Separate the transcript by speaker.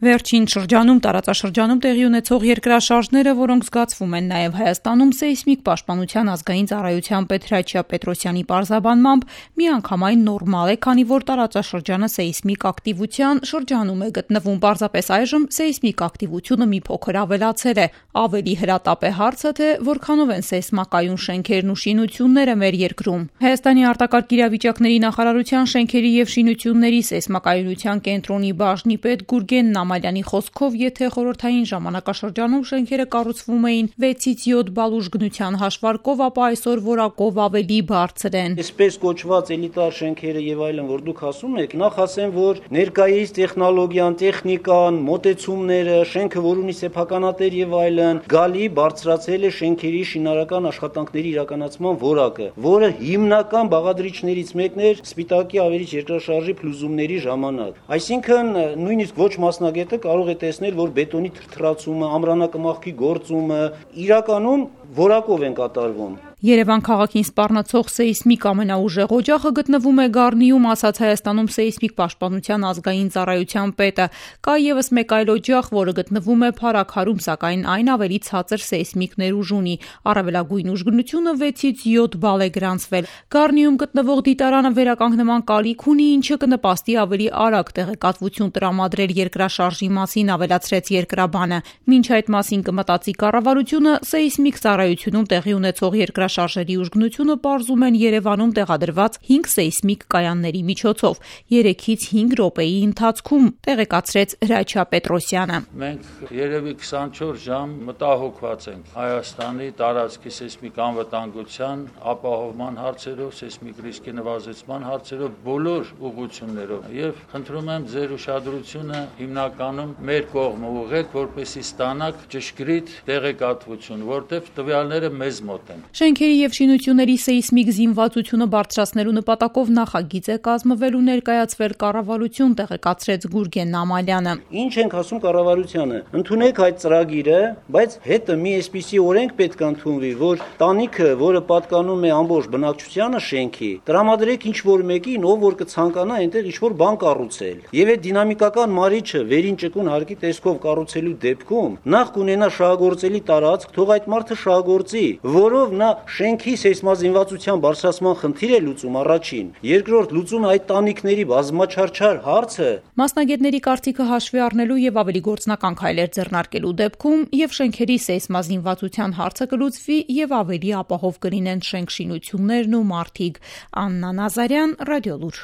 Speaker 1: Վերջին շրջանում տարածաշրջանում տեղի ունեցող երկրաշարժները, որոնք զգացվում են նաև Հայաստանում, սեյսմիկ պաշտպանության ազգային ծառայության պետ Հրաչյա Պետրոսյանի պարզաբանմամբ միանգամայն նորմալ է, քանի որ տարածաշրջանը սեյսմիկ ակտիվության շրջանում է գտնվում։ Պարզապես այժմ սեյսմիկ ակտիվությունը մի փոքր ավելացել է։ Ավելի հրատապ է հարցը, թե որքանով են սեյսմակայուն շենքերն ու շինությունները մեր երկրում։ Հայաստանի արտակարգ իրավիճակների նախարարության շենքերի եւ շինությունների սեյսմակայունության կենտրոնի բաժնի պետ Գուրգեն Նամալյանի խոսքով, եթե խորհրդային ժամանակաշրջանում շենքերը կառուցվում էին 6-ից 7 բալ ուժգնության հաշվարկով, ապա այսօր որակով ավելի բարձր են։
Speaker 2: Այսպես կոչված էլիտար շենքերը եւ այլն, որ դուք ասում եք, նախ ասեմ, որ ներկայիս տեխնոլոգիան, տեխնիկան, մոտեցումները, շենքը, որ ունի սեփականատեր եւ այլն, գալի բարձրացել է շենքերի շինարարական աշխատանքների իրականացման որակը, որը հիմնական բաղադրիչներից մեկն էր Սպիտակի ավերիչ երկրաշարժի փլուզումների ժամանակ։ Այսինքն նույնիսկ ոչ մասնագետը կարող է տեսնել, որ բետոնի թրթրացումը, ամրանակմախքի գործումը իրականում որակով են կատարվում։
Speaker 1: Երևան քաղաքին սպառնացող սեյսմիկ ամենաուժեղ օջախը գտնվում է Գառնիում, ասաց Հայաստանում սեյսմիկ պաշտպանության ազգային ծառայության պետը։ Կա ևս մեկ այլ օջախ, որը գտնվում է Փարաքարում, սակայն այն ավելի ցածր սեյսմիկ ներուժ ունի։ Առավելագույն ուժգնությունը 6-ից 7 բալ է գրանցվել։ Գառնիում գտնվող դիտարանը վերականգնման կարիք ունի, ինչը կնպաստի ավելի արագ տեղեկատվություն տրամադրել երկրաշարժի մասին, ավելացրեց երկրաբանը։ Մինչ այդ մասին կմտածի կառավարությունը, սեյսմիկ ծառայությունում տեղի ունեցող երկրաշարժերի ուժգնությունը պարզում են Երևանում տեղադրված 5 սեյսմիկ կայանների միջոցով 3-ից 5 րոպեի ընթացքում, տեղեկացրեց Հրաչյա Պետրոսյանը։
Speaker 3: Մենք երևի 24 ժամ մտահոգված ենք Հայաստանի տարածքի սեյսմիկ անվտանգության ապահովման հարցերով, սեյսմիկ ռիսկի նվազեցման հարցերով բոլոր ուղղություններով եւ խնդրում եմ ձեր ուշադրությունը հիմնականում մեր կողմը ուղղեք, որպեսզի ստանաք ճշգրիտ տեղեկատվություն, որտեղ տվյալները մեզ մոտ են։
Speaker 1: Շենքերի եւ շինությունների սեյսմիկ զինվածությունը բարձրացնելու նպատակով նախագիծ է կազմվել ու ներկայացվել կառավարություն, տեղեկացրեց Գուրգեն Նամալյանը։
Speaker 2: Ինչ ենք ասում կառավարությանը, ընդունեք այդ ծրագիրը, բայց հետը մի այսպիսի օրենք պետք է ընդունվի, որ տանիքը, որը պատկանում է ամբողջ բնակչությանը շենքի, տրամադրեք ինչ-որ մեկին, ով որ կցանկանա այնտեղ ինչ-որ բան կառուցել։ Եվ այդ դինամիկական մարիչը վերին ճկուն հարկի տեսքով կառուցելու դեպքում նախ կունենա շահագործելի տարածք, թող այդ մարդը շահագործի, որով նա շենքի սեյսմազինվածության բարձրացման խնդիր է լուծում առաջին, երկրորդ լուծում է այդ տանիքների բազմաչարչար հարցը։
Speaker 1: Մասնագետների կարծիքը հաշվի առնելու եւ ավելի գործնական քայլեր ձեռնարկելու դեպքում եւ շենքերի սեյսմազինվածության հարցը կլուծվի եւ ավելի ապահով կլինեն շենք շինություններն ու մարդիկ։ Աննա Նազարյան, Ռադիոլուր։